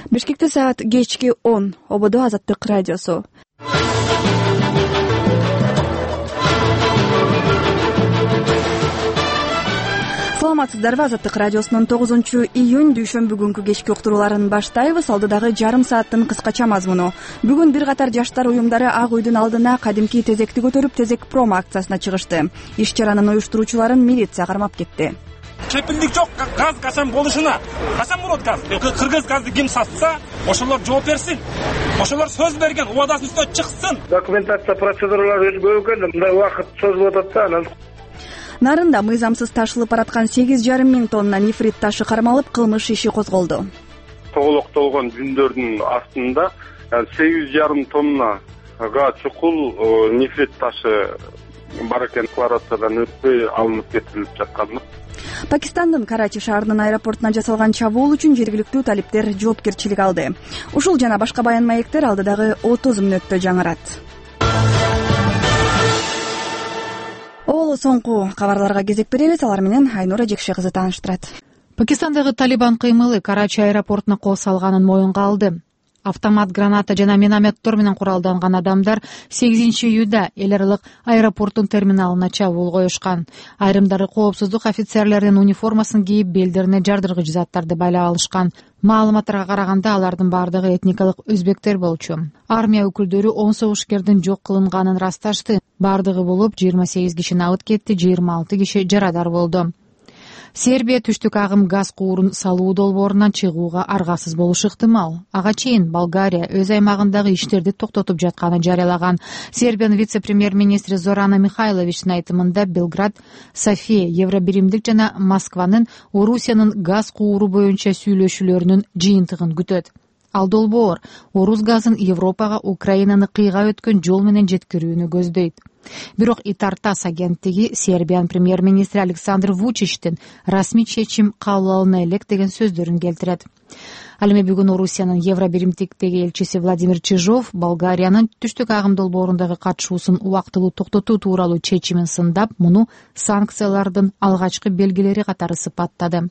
Бишкекте саат кечки 10. Ободо Азаттык радиосу. Саламатсыздарбы? Азаттык радиосунун 9-июнь дүйшөмбү күнкү кечки уктурууларын баштайбыз. Алдыдагы жарым сааттын кыскача мазмуну. Бүгүн бир катар жаштар уюмдары Ак үйдүн алдына кадимки тезекти көтөрүп тезек промо акциясына чыгышты. Иш чаранын уюштуруучуларын милиция кармап кетти. Кепилдик жок, газ качан болушуна. Качан болот газ? Кыргыз газды ким сатса, ошолор жооп берсин. Ошолор сөз берген, убадасынын үстүнө чыксын. Документация процедуралары көп экен, мындай убакыт созулуп атат да, анан Нарында мыйзамсыз ташылып бараткан 8,5 миң тонна нефрит ташы кармалып, кылмыш иши козголду. тоголоктолгон жүндөрдүн астында 8,5 тоннага чукул нефрит ташы бар экен, декларациядан өтпөй алынып кетирип жаткан. Пакистандын Карачи шаарынын аэропортуна жасалган чабуул үчүн жергиликтүү талиптер жоопкерчилик алды. Ушул жана башка баян маектер алдыдагы 30 мүнөттө жаңырат. Ол соңку кабарларга кезек беребиз. Алар менен Айнура Жекше кызы тааныштырат. Пакистандагы Талибан кыймылы Карачи аэропортуна кол салганын моюнга алды. Автомат граната жана минометтор менен куралданган адамдар 8-июда эл аралык аэропорттун терминалына чабуул коюшкан. Айрымдары коопсуздук офицерлеринин униформасын кийип, белдерине жардыргыч заттарды байлап алышкан. Маалыматтарга караганда алардын бардыгы этникалык өзбектер болчу. Армия өкүлдөрү 10 согушкердин жок кылынганын расташты. Бардыгы болуп 28 киши набыт кетти, 26 киши жарадар болду. Сербия түштүк агым газ куурун салуу долбоорунан чыгууга аргасыз болушу ыктымал. Ага чейин Болгария өз аймагындагы иштерди токтотуп жатканын жарыялаган. Сербиянын вице-премьер-министри Зорана Михайловичтин айтымында Белград, София, Евробиримдик жана Москванын Орусиянын газ кууру боюнча сүйлөшүүлөрүнүн жыйынтыгын күтөт. Ал долбоор орус газын Европага Украинаны кыйга өткөн жол менен жеткирүүнү көздөйт. Бирок Итартас агенттиги Сербиянын премьер-министри Александр Вучичтин расмий чечим кабыл алына элек деген сөздөрүн келтирет. Ал эми бүгүн Орусиянын Евробиримдиктеги элчиси Владимир Чижов Болгариянын түштүк агым долбоорундагы катышуусун убактылуу токтотуу тууралуу чечимин сындап, муну санкциялардын алгачкы белгилери катары сыпаттады.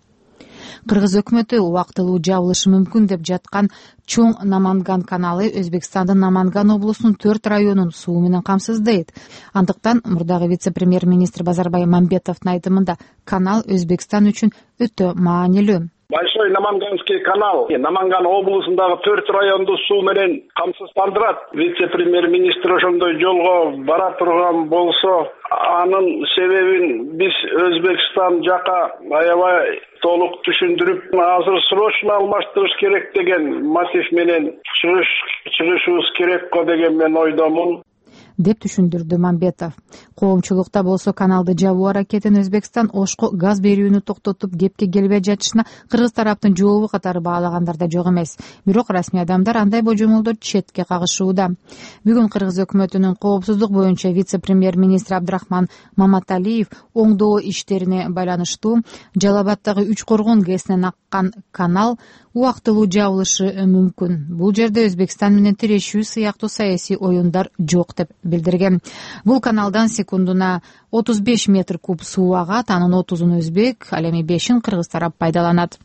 Кыргыз өкмөтү убактылуу жабылышы мүмкүн деп жаткан Чоң Наманган каналы Өзбекстандын Наманган облусунун 4 районун суу менен камсыздайт. Андыктан мурдагы вице-премьер-министр Базарбай Мамбетовдун айтымында канал Өзбекстан үчүн өтө маанилүү. Большой Наманганский канал Наманган облусундагы 4 районду суу менен камсыздандырат. Вице-премьер-министр ошондой жолго бара турган болсо, анын себебин биз Өзбекстан жака аябай толук түшүндүрүп, азыр срочно алмаштырыш керек деген мотив менен чыгышыбыз керек го деген мен ойдомун, деп түшүндүрдү Мамбетов. Коомчулукта болсо каналды жабуу аракетин Өзбекстан Ошко газ берүүнү токтотуп кепке келбей жатышына Кыргыз тараптын жообу катары баалагандар да жок эмес. Бирок расмий адамдар андай божомолдор четке кагышууда. Бүгүн Кыргыз өкмөтүнүн коопсуздук боюнча вице-премьер-министри Абдрахман Маматалиев оңдоо иштерине байланыштуу Жалал Абаддагы 3 коргон ГЭСинен аккан канал убактылуу жабылышы мүмкүн. Бул жерде Өзбекстан менен тирешүү сыяктуу саясий оюндар жок деп билдирген. Бул каналдан секундуна 35 метр куб суу агат, анын 30-ун өзбек, ал эми 5-ин кыргыз тарап пайдаланат.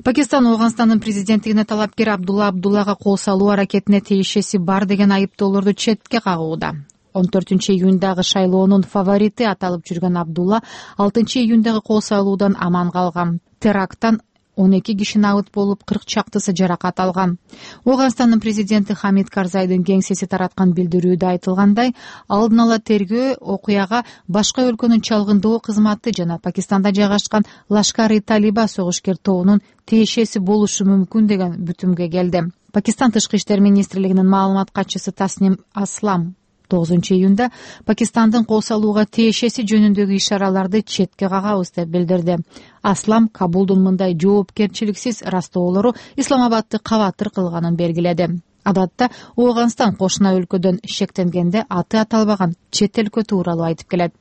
Пакистан Ооганстандын президенттигине талапкер Абдулла Абдуллага кол салуу аракетине тиешеси бар деген айыптоолорду четке кагууда. 14-июндагы шайлоонун фаворити аталып жүргөн Абдулла 6-июндагы кол салуудан аман калган. Теракттан 12 киши набыт болуп, 40 чактысы жаракат алган. Ооганстандын президенти Хамид Карзайдын кеңсеси тараткан билдирүүдө айтылгандай, алдын ала тергөө окуяга башка өлкөнүн чалгындоо кызматы жана Пакистанда жайгашкан Лашкар-и-Талиба согушкер тобунун тиешеси болушу мүмкүн деген бүтүмгө келди. Пакистан тышкы иштер министрлигинин маалымат катчысы Тасним Аслам 9-июнда Пакистандын кол салууга тиешеси жөнүндөгү ишараларды четке кагабыз деп билдирди. Аслам Кабулдун мындай жоопкерчиликсиз растоолору Исламабадты кабатыр кылганын белгиледи. Адатта Ооганстан кошуна өлкөдөн шектенгенде аты аталбаган чет өлкө тууралуу айтып келет.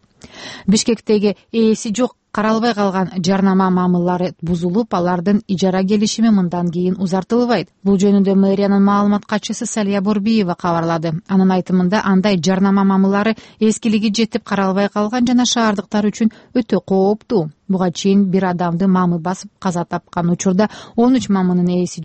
Бишкектеги ээси жок каралбай калган жарнама мамылдары бузулуп, алардын ижара келишими мындан кийин узартылбайт. Бул жөнүндө мэриянын маалымат катчысы Салия Борбиева кабарлады. Анын айтымында андай жарнама мамылдары эскилиги жетип каралбай калган жана шаардыктар үчүн өтө кооптуу. Буга чейин бир адамды мамы басып каза тапкан учурда 13 мамынын ээси